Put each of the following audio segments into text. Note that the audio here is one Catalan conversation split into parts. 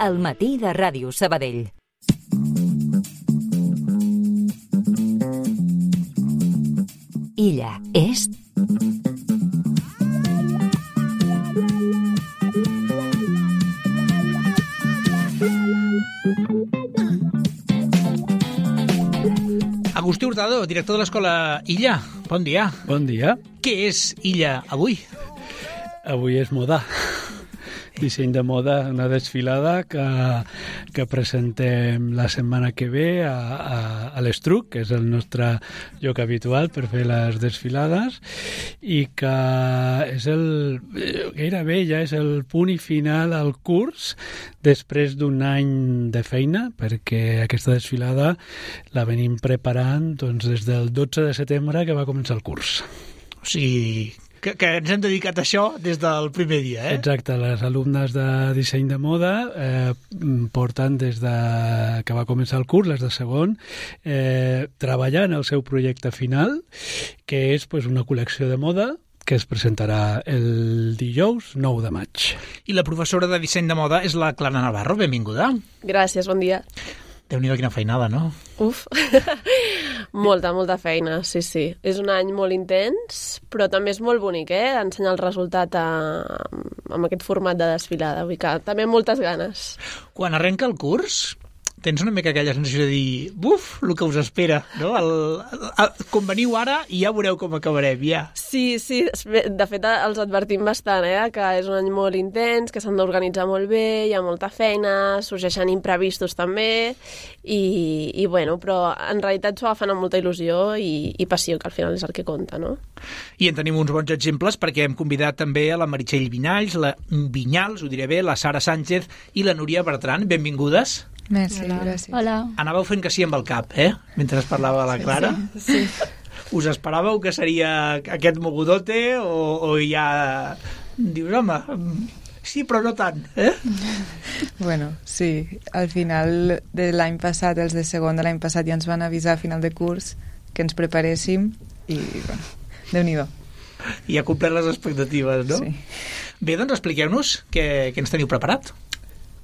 al matí de Ràdio Sabadell. Illa Est. Agustí Hurtado, director de l'escola Illa. Bon dia. Bon dia. Què és Illa avui? Avui és moda. Disseny de moda, una desfilada que presentem la setmana que ve a l'Estruc, que és el nostre lloc habitual per fer les desfilades, i que és gairebé ja és el punt i final al curs després d'un any de feina, perquè aquesta desfilada la venim preparant doncs, des del 12 de setembre que va començar el curs. O sigui, que ens hem dedicat a això des del primer dia, eh? Exacte, les alumnes de disseny de moda porten des de que va començar el curs, les de segon, treballant el seu projecte final, que és una col·lecció de moda que es presentarà el dijous 9 de maig. I la professora de disseny de moda és la Clara Navarro. Benvinguda. Gràcies, bon dia. Déu-n'hi-do, quina feinada, no? Uf, molta feina, sí. És un any molt intens, però també és molt bonic, ensenyar el resultat amb aquest format de desfilada. Vull que també moltes ganes. Quan arrenca el curs, tens una mica aquella sensació de dir buf, el que us espera, no? Com veniu ara i ja veureu com acabarem, ja. Sí, de fet els advertim bastant, que és un any molt intens, que s'han d'organitzar molt bé, hi ha molta feina, sorgeixen imprevistos també, i bueno, però en realitat s'ho agafen amb molta il·lusió i passió, que al final és el que compta, no? I en tenim uns bons exemples perquè hem convidat també a la Meritxell Vinyals, ho diré bé, la Sara Sánchez i la Núria Bertran. Benvingudes. Merci, gràcies. Hola. Anàveu fent que sí amb el cap, mentre es parlava la Clara. Sí. Us esperàveu que seria aquest mogudote o ja dius, home, sí, però no tant, Bueno, sí. Al final de l'any passat, els de segon de l'any passat ja ens van avisar a final de curs que ens preparéssim i, bueno, Déu-n'hi-do. I ha complert les expectatives, no? Sí. Bé, doncs expliqueu-nos què ens teniu preparat.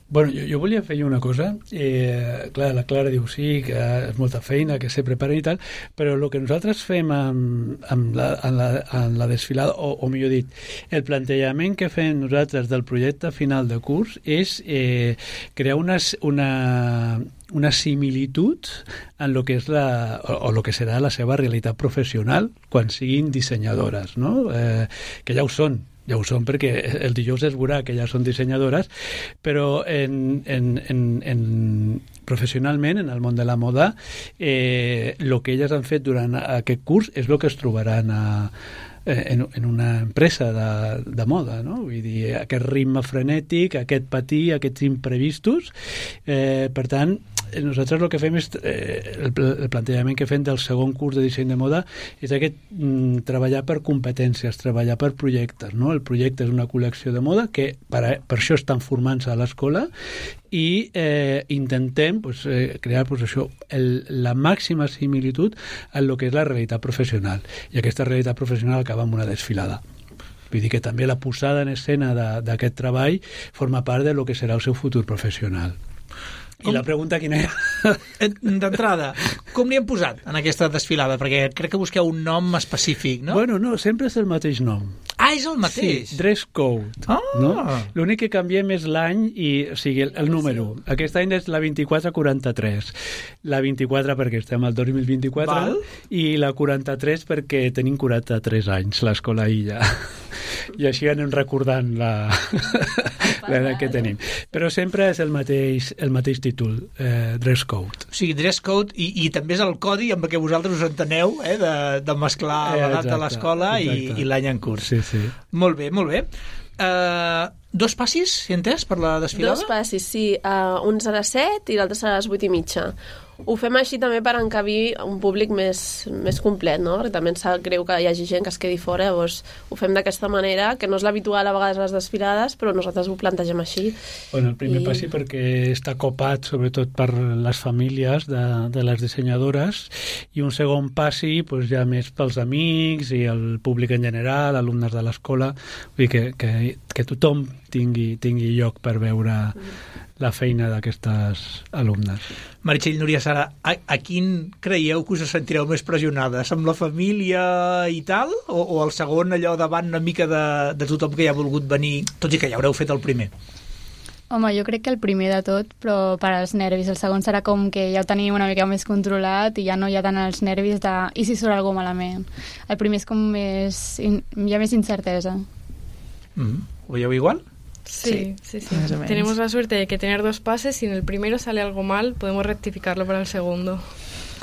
Bueno, jo volia fer una cosa. Clar, la Clara diu sí, que és molta feina, que se preparen i tal, però el que nosaltres fem en la desfilada, o millor dit, el plantejament que fem nosaltres del projecte final de curs és crear una similitud en lo que és o lo que serà la seva realitat professional quan siguin dissenyadores, no? Que ja ho són perquè el dijous es veurà que ja són dissenyadores, però professionalment, en el món de la moda, el que elles han fet durant aquest curs és el que es trobaran en una empresa de moda, no? Vull dir, aquest ritme frenètic, aquest patir, aquests imprevistos. Per tant, nosaltres el que fem és el plantejament que fem del segon curs de disseny de moda és aquest treballar per competències, treballar per projectes, no? El projecte és una col·lecció de moda que per això estan formant-se a l'escola i intentem crear la màxima similitud en el que és la realitat professional, i aquesta realitat professional acaba amb una desfilada. Vull dir que també la posada en escena d'aquest treball forma part de lo que serà el seu futur professional. I la pregunta quina era? D'entrada, com li hem posat en aquesta desfilada? Perquè crec que busqueu un nom específic, no? Bueno, no, sempre és el mateix nom. Ah, és el mateix? Sí, dress code. No? L'únic que canviem és l'any, o sigui, el número. Sí. Aquest any és la 2443. La 24 perquè estem al 2024. Val. I la 43 perquè tenim 43 anys, l'escola Illa. I així anem recordant l'edat que tenim. Però sempre és el mateix títol, dress code. O sigui, dress code i també és el codi amb el que vosaltres us enteneu, de mesclar l'edat de l'escola i l'any en curs. Sí. Molt bé. 2 passis, si entès, per la desfilada? 2 passis, sí. Un serà 7 i l'altre serà a les 8:30. Ho fem així també per encabir un públic més complet, no? Perquè també ens sap greu que hi hagi gent que es quedi fora, llavors ho fem d'aquesta manera, que no és l'habitual a vegades a les desfilades, però nosaltres ho plantegem així. Bueno, el primer passi perquè està copat sobretot per les famílies de les dissenyadores, i un segon passi ja més pels amics i el públic en general, alumnes de l'escola, vull dir que tothom tingui lloc per veure la feina d'aquestes alumnes. Meritxell, Núria, Sara, a quin creieu que us sentireu més pressionades? Amb la família i tal? O el segon, allò davant una mica de tothom que ja ha volgut venir, tot i que ja haureu fet el primer? Home, jo crec que el primer de tot, però per als nervis. El segon serà com que ja ho tenim una mica més controlat i ja no hi ha tant els nervis de i si surt alguna malament. El primer és com més... hi ha més incertesa. ¿Ho veieu igual? Sí. Más o menos. Tenemos la suerte de que tener 2 pases, si en el primero sale algo mal, podemos rectificarlo para el segundo.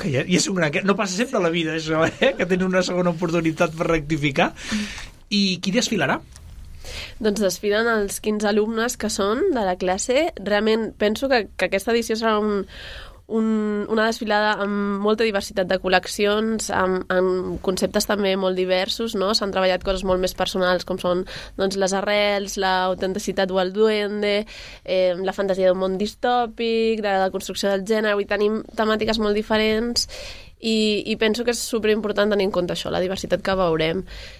Que ja és un gran... No passa sempre a la vida, això, que tenen una segona oportunitat per rectificar. I qui desfilarà? Doncs desfilen els 15 alumnes que són de la classe. Realment penso que aquesta edició serà una desfilada amb molta diversitat de col·leccions, amb conceptes també molt diversos, no? S'han treballat coses molt més personals com són doncs, les arrels, l'autenticitat o el duende, la fantasia d'un món distòpic, de la construcció del gènere. Avui tenim temàtiques molt diferents i penso que és superimportant tenir en compte això, la diversitat que veurem.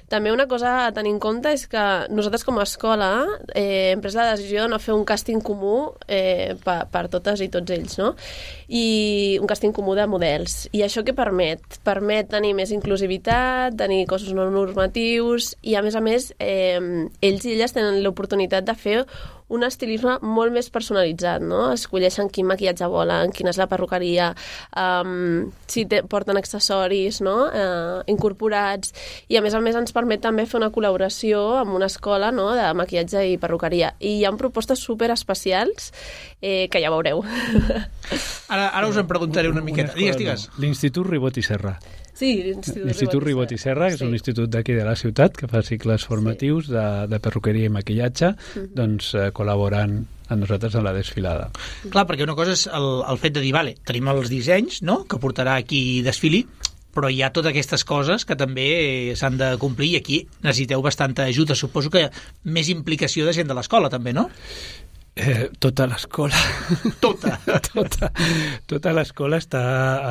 També una cosa a tenir en compte és que nosaltres com a escola hem pres la decisió de no fer un càsting comú per totes i tots ells, no? I un càsting comú de models. I això què permet? Permet tenir més inclusivitat, tenir cossos no normatius i, a més, ells i elles tenen l'oportunitat de fer un estilisme molt més personalitzat, no? Escolleixen quin maquillatge volen, quina és la perruqueria, si porten accessoris, no? Incorporats, i a més ens permet també fer una col·laboració amb una escola, no? De maquillatge i perruqueria. I hi ha propostes super especials que ja veureu. Ara us en preguntaré una miqueta. Digues. L'Institut Ribot i Serra. Sí, l'Institut Ribot i Serra, que és un institut d'aquí de la ciutat que fa cicles formatius de perruqueria i maquillatge, doncs col·laborant amb nosaltres en la desfilada. Clar, perquè una cosa és el fet de dir, vale, tenim els dissenys, no?, que portarà aquí desfili, però hi ha totes aquestes coses que també s'han de complir i aquí necessiteu bastanta ajuda. Suposo que més implicació de gent de l'escola, també, no? Tota l'escola tota l'escola està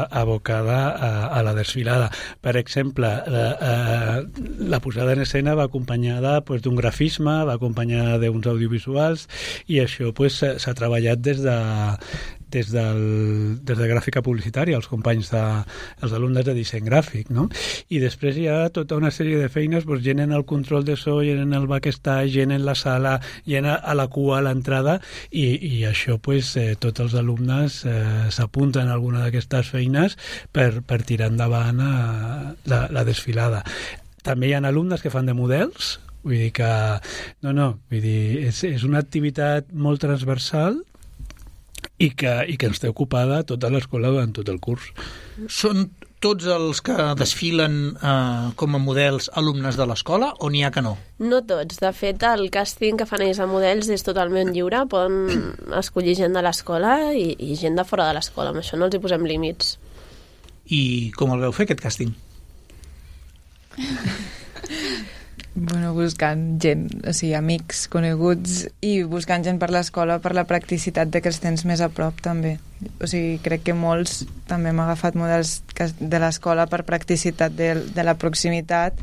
abocada a la desfilada. Per exemple, la posada en escena va acompanyada d'un grafisme, va acompanyada d'uns audiovisuals i això s'ha treballat des de gràfica publicitària, els companys els alumnes de disseny gràfic, no? I després hi ha tota una sèrie de feines, gent en el control de so, gent en el backstage, gent en la sala, gent a la cua, a l'entrada, i això, tots els alumnes s'apunten a alguna d'aquestes feines per tirar endavant la desfilada. També hi ha alumnes que fan de models, vull dir que és una activitat molt transversal i que ens té ocupada tota l'escola durant tot el curs. Són tots els que desfilen com a models alumnes de l'escola o n'hi ha que no? No tots. De fet, el càsting que fan ells a models és totalment lliure. Poden escollir gent de l'escola i gent de fora de l'escola. Amb això no els hi posem límits. I com el veu fer, aquest càsting? Bueno, buscant gent, o sigui, amics, coneguts, i buscant gent per l'escola per la practicitat de que els tens més a prop, també. O sigui, crec que molts també hem agafat models de l'escola per practicitat de la proximitat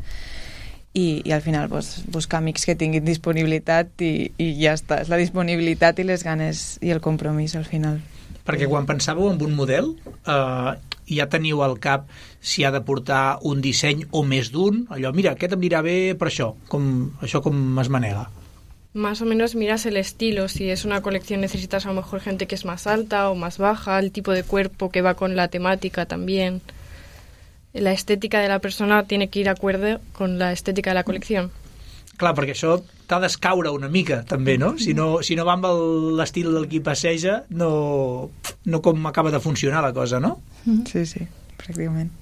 i al final buscar amics que tinguin disponibilitat i ja està. És la disponibilitat i les ganes i el compromís al final. Perquè quan pensàveu en un model, ja teniu al cap si ha de portar un disseny o més d'un, allò, mira, aquest em dirà bé per això, com es manega. Más o menos miras el estilo, si es una colección necesitas a lo mejor gente que es más alta o más baja, el tipo de cuerpo que va con la temática también. La estética de la persona tiene que ir acorde con la estética de la colección. Clar, perquè això t'ha d'escaure una mica, també, no? Si no va amb l'estil del qui passeja, no com acaba de funcionar la cosa, no? Sí, pràcticament.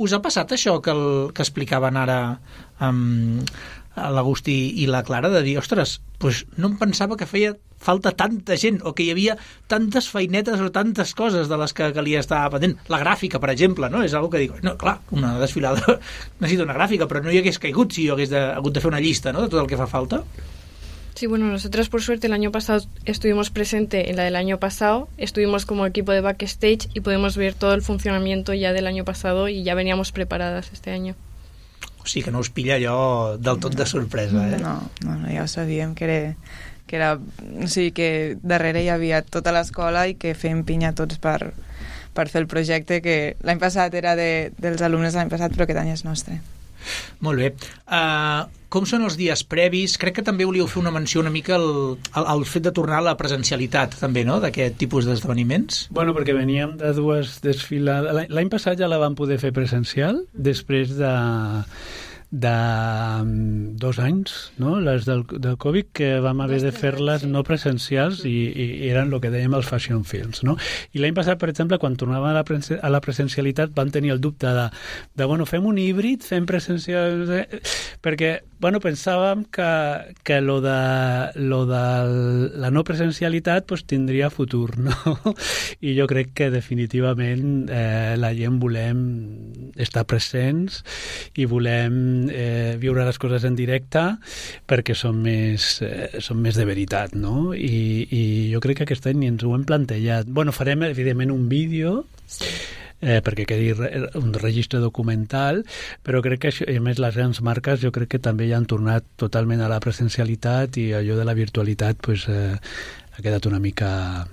Us ha passat això que explicaven ara l'Agustí i la Clara, de dir, ostres, no em pensava que feia falta tanta gent, o que hi havia tantes feinetes o tantes coses de les que calia estar pendent. La gràfica, per exemple, no? És una que dic, no, clar, una desfilada necessita una gràfica, però no hi hagués caigut si jo hagués hagut de fer una llista, no?, de tot el que fa falta. Sí, bueno, nosotros por suerte el año pasado estuvimos presente en la del año pasado, estuvimos como equipo de backstage y podemos ver todo el funcionamiento ya del año pasado y ya veníamos preparadas este año. O sigui que no us pilla allò del tot de sorpresa, eh? No, ja ho sabíem, que que era, o sigui, que darrere hi havia tota l'escola i que fèiem pinya tots per fer el projecte, que l'any passat era dels alumnes de l'any passat, però aquest any és nostre. Molt bé. Com són els dies previs? Crec que també volíeu fer una menció una mica al fet de tornar a la presencialitat, també, no?, d'aquest tipus d'esdeveniments. Bueno, perquè veníem de dues desfilades. L'any passat ja la vam poder fer presencial, després de 2 anys, no?, les del Covid, que vam haver de fer-les no presencials i eren el que dèiem els fashion films, no? I l'any passat, per exemple, quan tornàvem a la presencialitat, vam tenir el dubte de bueno, fem un híbrid, fem presencial... Perquè, bueno, pensàvem que lo de la no presencialitat pues, tindria futur, no? I jo crec que definitivament la gent volem estar presents i volem viure les coses en directe perquè són més de veritat, no? I jo crec que aquest any ens ho hem plantejat. Bueno, farem evidentment un vídeo, sí, perquè quedi un registre documental, però crec que això, i a més les grans marques jo crec que també ja han tornat totalment a la presencialitat i allò de la virtualitat pues, ha quedat una mica...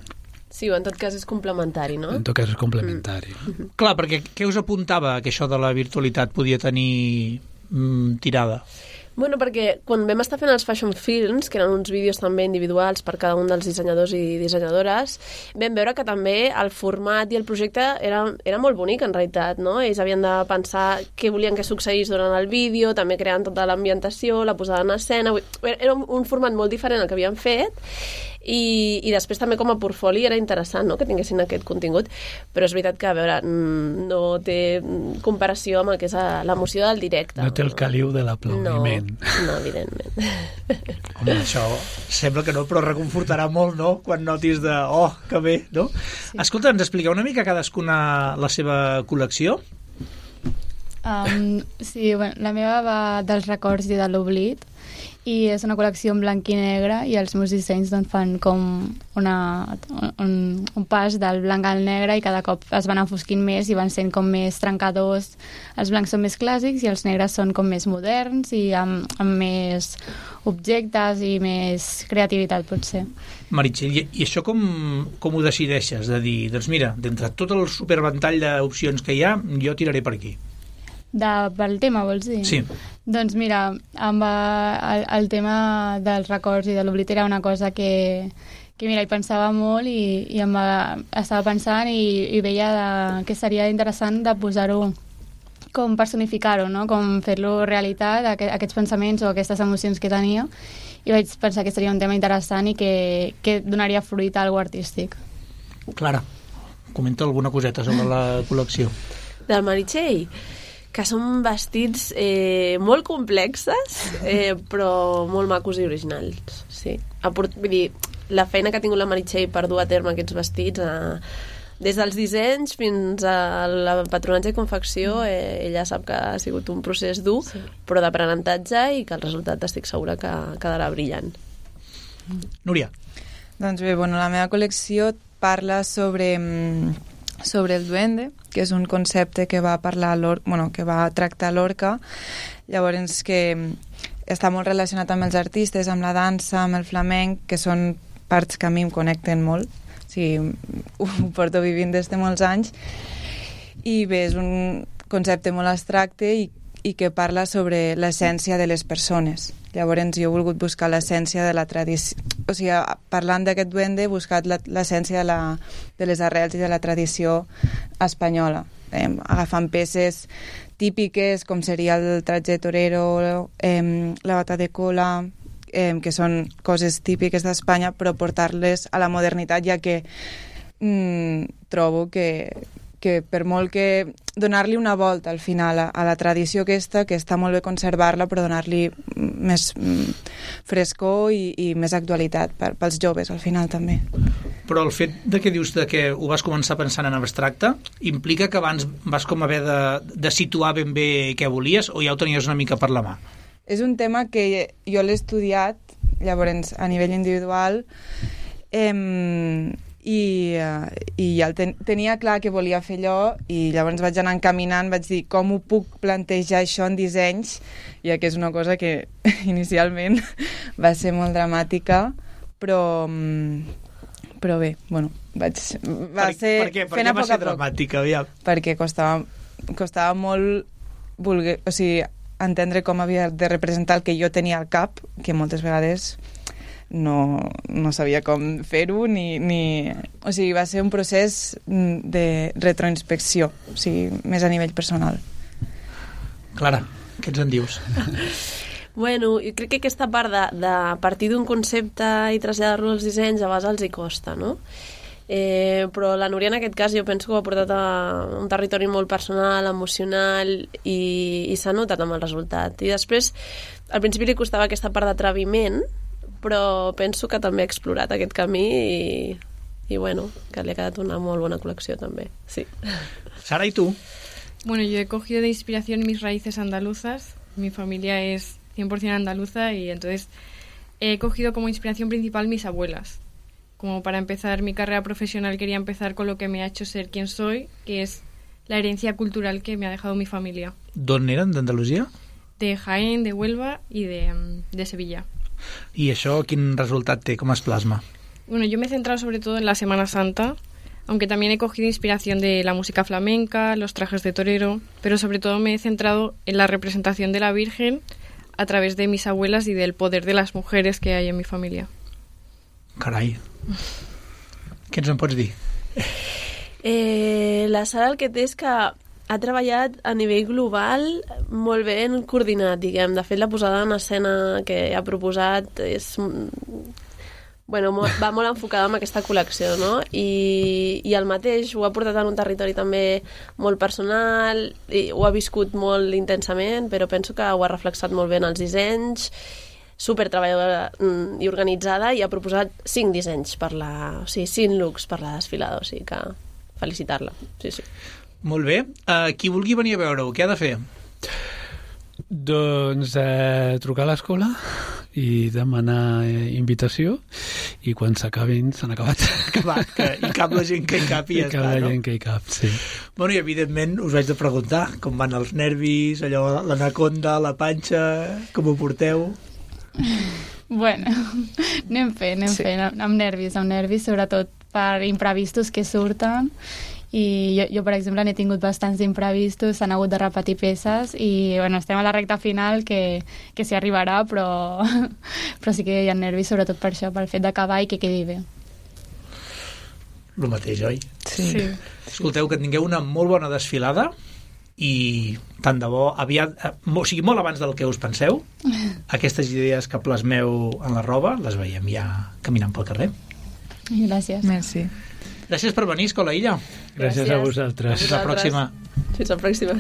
Sí, o en tot cas és complementari, no? En tot cas és complementari. Clar, perquè què us apuntava que això de la virtualitat podia tenir tirada? Bueno, perquè quan vam estar fent els Fashion Films, que eren uns vídeos també individuals per cada un dels dissenyadors i dissenyadores, vam veure que també el format i el projecte era molt bonic, en realitat, no? Ells havien de pensar què volien que succeís durant el vídeo, també creant tota l'ambientació, la posada en escena... Era un format molt diferent al que havien fet, i després també com a portfoli era interessant, no?, que tinguessin aquest contingut, però és veritat que, a veure, no té comparació amb el que és l'emoció del directe. No té el caliu de l'aplaudiment. No, evidentment. Home, això sembla que no, però reconfortarà molt, no?, quan notis de, oh, que bé, no? Sí. Escolta, ens expliqueu una mica cadascuna la seva col·lecció? Sí, bueno, la meva va dels records i de l'oblit, i és una col·lecció en blanc i negre i els meus dissenys doncs, fan com un pas del blanc al negre i cada cop es van enfosquint més i van sent com més trencadors. Els blancs són més clàssics i els negres són com més moderns i amb més objectes i més creativitat, potser. Meritxell, i això com ho decideixes? De dir, doncs mira, d'entre tot el superventall d'opcions que hi ha, jo tiraré per aquí. Pel tema, vols dir? Sí. Doncs mira, amb el tema dels records i de l'oblit era una cosa que mira, hi pensava molt i estava pensant i veia que seria interessant de posar-ho, com personificar-ho, no? Com fer-lo realitat, aquests pensaments o aquestes emocions que tenia, i vaig pensar que seria un tema interessant i que donaria fruit a algo artístic. Clara, comenta alguna coseta sobre la col·lecció. Del Meritxell? Que són vestits molt complexes, però molt macos i originals. Sí. Vull dir, la feina que ha tingut la Meritxell per dur a terme aquests vestits, des dels dissenys fins al patronatge i confecció, ella sap que ha sigut un procés dur, sí, però d'aprenentatge, i que el resultat estic segura que quedarà brillant. Núria. Doncs bé, bueno, la meva col·lecció parla sobre el duende, que és un concepte que va que va tractar Lorca, llavors que està molt relacionat amb els artistes, amb la dansa, amb el flamenc, que són parts que a mi em connecten molt, o sigui, ho porto vivint des de molts anys, i bé, és un concepte molt abstracte i que parla sobre l'essència de les persones. Llavors jo he volgut buscar l'essència de la tradició, o sigui, parlant d'aquest duende he buscat l'essència de les arrels i de la tradició espanyola, agafant peces típiques com seria el tratge torero, la bata de cola, que són coses típiques d'Espanya, però portar-les a la modernitat, ja que trobo que per molt que donar-li una volta al final a la tradició aquesta, que està molt bé conservar-la, però donar-li més frescor i més actualitat pels joves al final també. Però el fet de que dius que ho vas començar pensant en abstracte implica que abans vas com haver de situar ben bé què volies, o ja ho tenies una mica per la mà? És un tema que jo l'he estudiat, llavors a nivell individual, i ja tenia clar que volia fer allò, i llavors vaig anar encaminant, vaig dir com ho puc plantejar això en dissenys, ja que és una cosa que inicialment va ser molt dramàtica, però bé, bueno, va ser fent a poc a poc. dramàtica, aviam? Perquè costava molt entendre com havia de representar el que jo tenia al cap, que moltes vegades no sabia com fer-ho, o sigui, va ser un procés de retroinspecció, o sigui, més a nivell personal. Clara, què ens en dius? Bueno, jo crec que aquesta part de partir d'un concepte i traslladar-lo als dissenys a vegades els hi costa, no? Però la Núria en aquest cas jo penso que ho ha portat a un territori molt personal, emocional i s'ha notat amb el resultat. I després, al principi li costava aquesta part d'atreviment, però penso que també ha explorat aquest camí i bueno, que li ha quedat una molt bona col·lecció també, sí. Sara, ¿y tú? Bueno, yo he cogido de inspiración mis raíces andaluzas. Mi familia es 100% andaluza y entonces he cogido como inspiración principal mis abuelas. Como para empezar mi carrera profesional quería empezar con lo que me ha hecho ser quien soy, que es la herencia cultural que me ha dejado mi familia. D'on eren, d'Andalusia? De Jaén, de Huelva y de Sevilla. I això quin resultat té? Com es plasma? Bueno, yo me he centrado sobre todo en la Semana Santa, aunque también he cogido inspiración de la música flamenca, los trajes de torero, pero sobre todo me he centrado en la representación de la Virgen a través de mis abuelas y del poder de las mujeres que hay en mi familia. Carai. Què ens en pots dir? La Sara el que té és que ha treballat a nivell global molt ben coordinat, diguem. De fet, la posada en escena que ha proposat és... Bueno, va molt enfocada en aquesta col·lecció, no? I el mateix ho ha portat en un territori també molt personal, i ho ha viscut molt intensament, però penso que ho ha reflexat molt bé en els dissenys, super treballadora i organitzada, i ha proposat 5 dissenys o sigui, 5 looks per la desfilada, o sigui que felicitar-la, sí. Molt bé. Qui vulgui venir a veure-ho, què ha de fer? Doncs trucar a l'escola i demanar invitació, i quan s'acabin, s'han acabat. I cap la gent que hi cap i ja està, no? La gent que hi cap, sí. Bueno, i evidentment us vaig de preguntar com van els nervis, allò, l'anaconda, la panxa, com ho porteu? Bueno, anem fent, amb nervis, sobretot per imprevistos que surten. I jo, per exemple, n'he tingut bastants imprevistos, s'han hagut de repetir peces i, bueno, estem a la recta final que s'hi arribarà, però sí que hi ha nervis, sobretot per això, pel fet d'acabar i que quedi bé. El mateix, oi? Sí. Escolteu, que tingueu una molt bona desfilada i tant de bo aviat, o sigui, molt abans del que us penseu, aquestes idees que plasmeu en la roba les veiem ja caminant pel carrer. Gràcies. Merci. Gràcies per venir, Escola Illa. Gràcies a vosaltres. Fins la pròxima. Fins la pròxima.